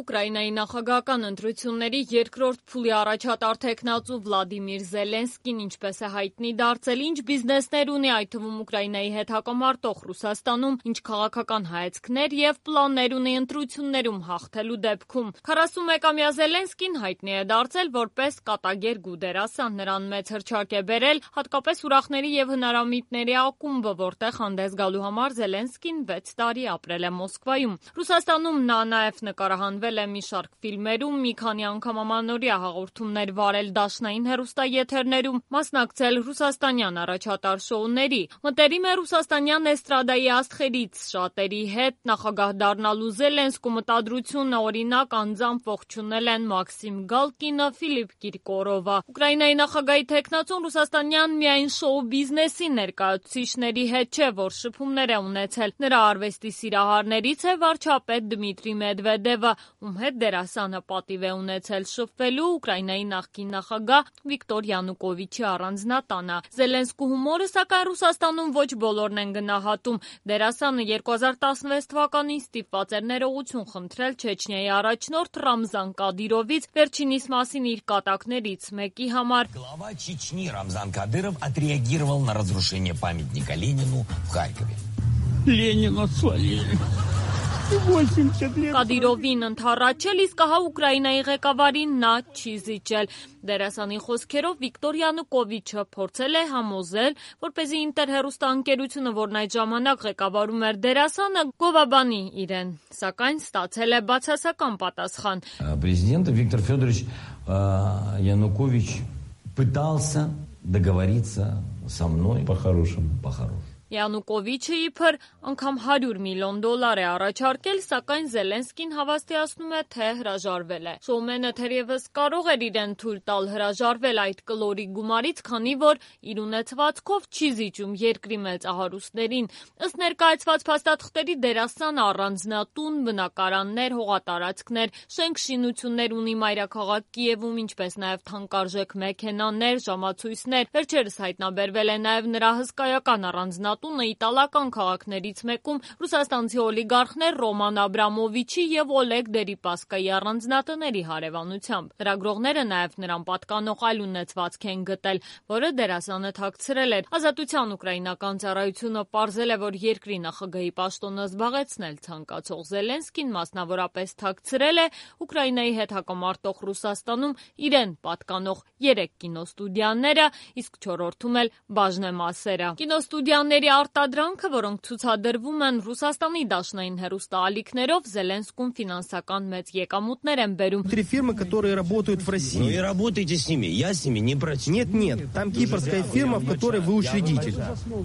Ուկրաինայի նախագահական ընտրությունների երկրորդ փուլի առաջատար թեկնածու Վլադիմիր Զելենսկին ինչպես է հայտնի դարձել, ինչ բիզնեսներ ունի, այդ թվում Ուկրաինայի հետ հակամարտող Ռուսաստանում, ինչ քաղաքական հայացքներ եւ պլաններ ունի ընտրություններում հաղթելու դեպքում։ 41-ամյա Զելենսկին հայտնի է դարձել որպես կատագեր գուդերասան, նրան մեծ հռչակ է բերել հատկապես ուրախների եւ հնարամիտների ակումբը, որտեղ հանդես գալու համար Զելենսկին 6 տարի ապրել է Մոսկվայում։ Ռուսաստանում նա նաև նկարահանվել է մի շարք ֆիլմերում, մի քանի անգամ ամանորյա հաղորդումներ վարել դաշնային հեռուստաեթերներում, մասնակցել ռուսաստանյան առաջատար շոուների։ Մտերիմ է ռուսաստանյան էստրադայի աստղերից շատերի հետ, նախագահ դառնալու Զելենսկու մտադրությունը օրինակ անձամբ ողջունել են Մաքսիմ Գալկինը, Ֆիլիպ Կիրկորովը։ Ուկրաինայի նախագահի թեկնածուն ռուսաստանյան միայն շոու բիզնեսի ներկայացուցիչների հետ չէ, որ շփումներ է ունեցել։ Նրա արվեստի սիրահարներից է վարչապետ Դմիտրի Մեդվեդևը, ում հետ դերասանը պատիվ է ունեցել շփվելու Ուկրաինայի նախկին նախագահ Վիկտոր Յանուկովիչի առանձնատանը։ Զելենսկու հումորը, սակայն Ռուսաստանում ոչ բոլորն են գնահատում։ Դերասանը 2016 թվականին ստիպված էր ներողություն խնդրել Չեչնիայի առաջնորդ Ռամզան Կադիրովից վերջինիս մասին իր կատակներից մեկի համար։ Глава Чечни Рамзан Кадыров отреагировал на разрушение памятника Ленину в Харькове. Ленина свалили. Կադիրովին ընդառաջել, իսկ ահա Ուկրաինայի ղեկավարին նա չի զիջել։ Դերասանի խոսքերով Վիկտոր Յանուկովիչը փորձել է համոզել, որպեսզի ինտերհեռուստաընկերությունը, որն այդ ժամանակ ղեկավարում էր դերասանը, գովաբանի իրեն, սակայն ստացել է բացասական պատասխան։ Президент Виктор Федорович Янукович пытался договориться со мной по-хорошему. Յանուկովիչը իբր անգամ $100 միլիոն է առաջարկել, սակայն Զելենսկին հավաստիացնում է, թե հրաժարվել է։ Շոումենը թերևս կարող էր իրեն թույլ տալ հրաժարվել այդ կլորի գումարից, քանի որ իր ունեցվածքով չի զիջում երկրի մեծահարուստներին։ Ըստ ներկայացված փաստաթղթերի դերասանը առանձնատուն, բնակարաններ, հողատարածքներ, շենք-շինություններ ունի մայրաքաղաք Կիևում, ինչպես նաև թանկարժեք մեքենաներ, ժամացույցներ։ Վերջերս հայտնաբերվել է նաև նրա հսկայական առանձնատունը իտալական քաղաքներից մեկում ռուսաստանցի օլիգարխներ Ռոման Աբրամովիչի եւ Օլեգ Դերիպասկայի առանձնատների հարևանությամբ։ Լրագրողները նաև նրան պատկանող այլ ունեցվածք են գտել, որը դերասանը թաքցրել էր։ Ազատության ուկրաինական ծառայությունը պարզել է, որ երկրի նախագահի պաշտոնը զբաղեցնել ցանկացող Զելենսկին մասնավորապես թաքցրել է Ուկրաինայի հետ հակամարտող Ռուսաստանում իրեն պատկանող 3 կինոստուդիաները, իսկ 4-րդում էլ բաժնեմասերը։ Կինոստուդիաների արտադրանքը, որոնք ցուցադրվում են Ռուսաստանի դաշնային հեռուստաալիքներով, Զելենսկուն ֆինանսական մեծ եկամուտներ են բերում։ Три фирмы, которые работают в России. Ну и работайте с ними, я с ними не против. Нет, там кипрская фирма, в которой вы учредитель.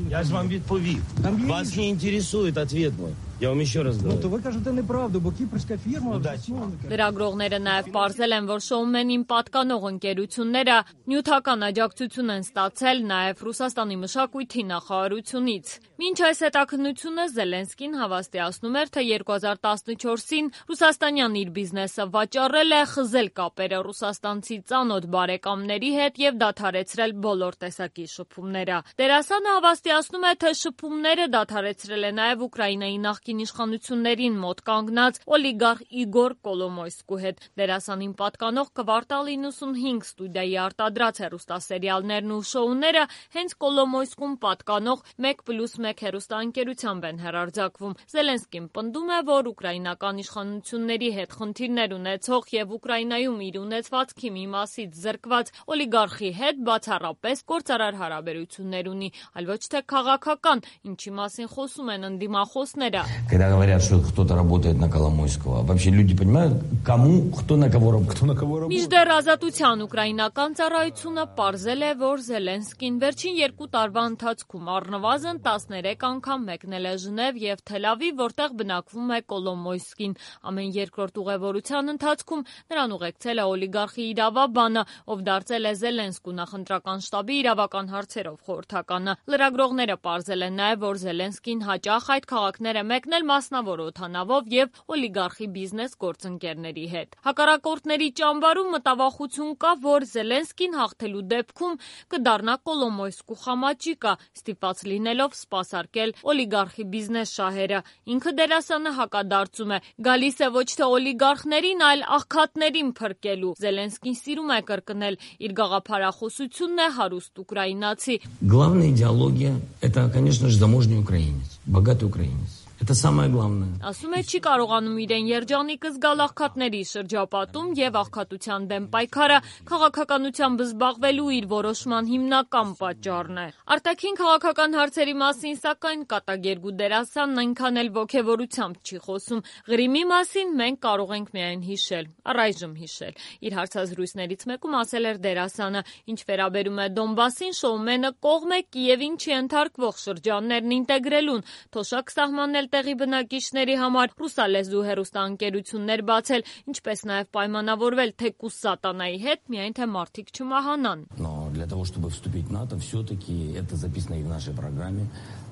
Я же вам відповів. Вас не интересует ответ мой. Я вам еще раз говорю. Ну, то вы кажете неправду, бо кипрская фирма... Լրագրողները նաև պարզել են, որ շոումենին պատկանող ընկերությունները նյութական աջակցություն են ստացել նաև Ռուսաստանի մշակույթի նախարարությունից։ Մինչ այս հետաքննությունը Զելենսկին հավաստիացնում էր, թե 2014-ին ռուսաստանյան իր բիզնեսը վաճառել է, խզել կապերը ռուսաստանցի ծանոթ բարեկամների հետ եւ դադարեցրել բոլոր տեսակի շփումները։ Դերասանը հավաստիացնում է, թե շփումները դադարեցրել է նաև Ուկրաինայի նախկին իշխանություններին մոտ կանգնած օլիգարխ Իգոր Կոլոմոյսկու հետ։ Դերասանին պատկանող Կվարտալ 95 ստուդիայի արտադրած հեռուստասերիալներն ու շոուները հենց Կոլոմոյսկուն պատկանող 1+1 հեռուստաընկերությամբ են հեռարձակվում։ Զելենսկին պնդում է, որ ուկրաինական իշխանությունների հետ խնդիրներ ունեցող եւ Ուկրաինայում իր ունեցվածքի մի մասից զրկված օլիգարխի հետ բացառապես գործարար հարաբերություններ ունի, այլ ոչ թե քաղաքական, ինչի մասին խոսում են ընդդիմախոսները։ Когда говорят, что кто-то работает на Коломойского, вообще люди понимают, кому, кто на кого работает. Մինչդեռ Ազատության ուկրաինական ծառայությունը պարզել է, որ Զելենսկին վերջին 2 տարվա ընթացքում առնվազն 13 անգամ մեկնել է Ժնև եւ Թել Ավիվ, որտեղ բնակվում է Կոլոմոյսկին։ Ամեն երկրորդ ուղևորության ընթացքում նրան ուղեկցել է օլիգարխի իրավաբանը, ով դարձել է Զելենսկու նախընտրական շտաբի իրավական հարցերով խորհրդականը։ Լրագրողները պարզել են նաեւ, որ Զելենսկին հաճախ այդ քաղաքները կազմակերպնել մասնավոր օդանավով եւ օլիգարխի բիզնես գործընկերների հետ։ Հակառակորդների ճամբարում մտավախություն կա, որ Զելենսկին հաղթելու դեպքում կդառնա Կոլոմոյսկու խամաճիկա, ստիպված լինելով սպասարկել օլիգարխի բիզնես շահերը։ Ինքը դերասանը հակադարձում է. գալիս է ոչ թե օլիգարխներին, այլ աղքատներին փրկելու։ Զելենսկին սիրում է կրկնել, իր գաղափարախոսությունն է հարուստ ուկրաինացի։ Главная идеология – это, конечно же, заможный украинец, богатый украинец. Это самое главное. Ասում է չի կարողանում իրեն երջանիկ զգալ աղքատների շրջապատում եւ աղքատության դեմ պայքարը քաղաքականությամբ զբաղվելու իր որոշման հիմնական պատճառն է։ Արտաքին քաղաքական հարցերի մասին սակայն կատակերգու դերասանն այնքան էլ ոգևորությամբ չի խոսում։ Ղրիմի մասին մենք կարող ենք միայն հիշել, առայժմ հիշել։ Իր հարցազրույցներից մեկում ասել էր դերասանը, ինչ վերաբերում է Դոնբասին, շոումենը կողմ է Կիևին չընթարկվող շրջաններն ինտեգրելուն, թոշակ սահմանել տեղի բնակիչների համար, ռուսալեզու հեռուստաընկերություններ բացել, ինչպես նաև պայմանավորվել թեկուզ սատանայի հետ, միայն թե մարդիկ չմահանան։ Но для того, чтобы вступить в НАТО, все-таки это записано и в нашей программе.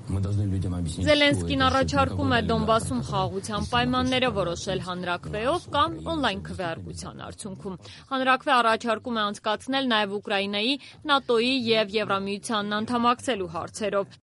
Мы должны людям объяснить. Զելենսկին առաջարկում է Դոնբասում խաղաղության պայմանները որոշել հանրաքվեով կամ օնլայն քվեարկության արդյունքում։ Հանրաքվե առաջարկում է անցկացնել նաև Ուկրաինայի, ՆԱՏՕ-ի եւ Եվրամիությանն անդամակցելու հարցերով։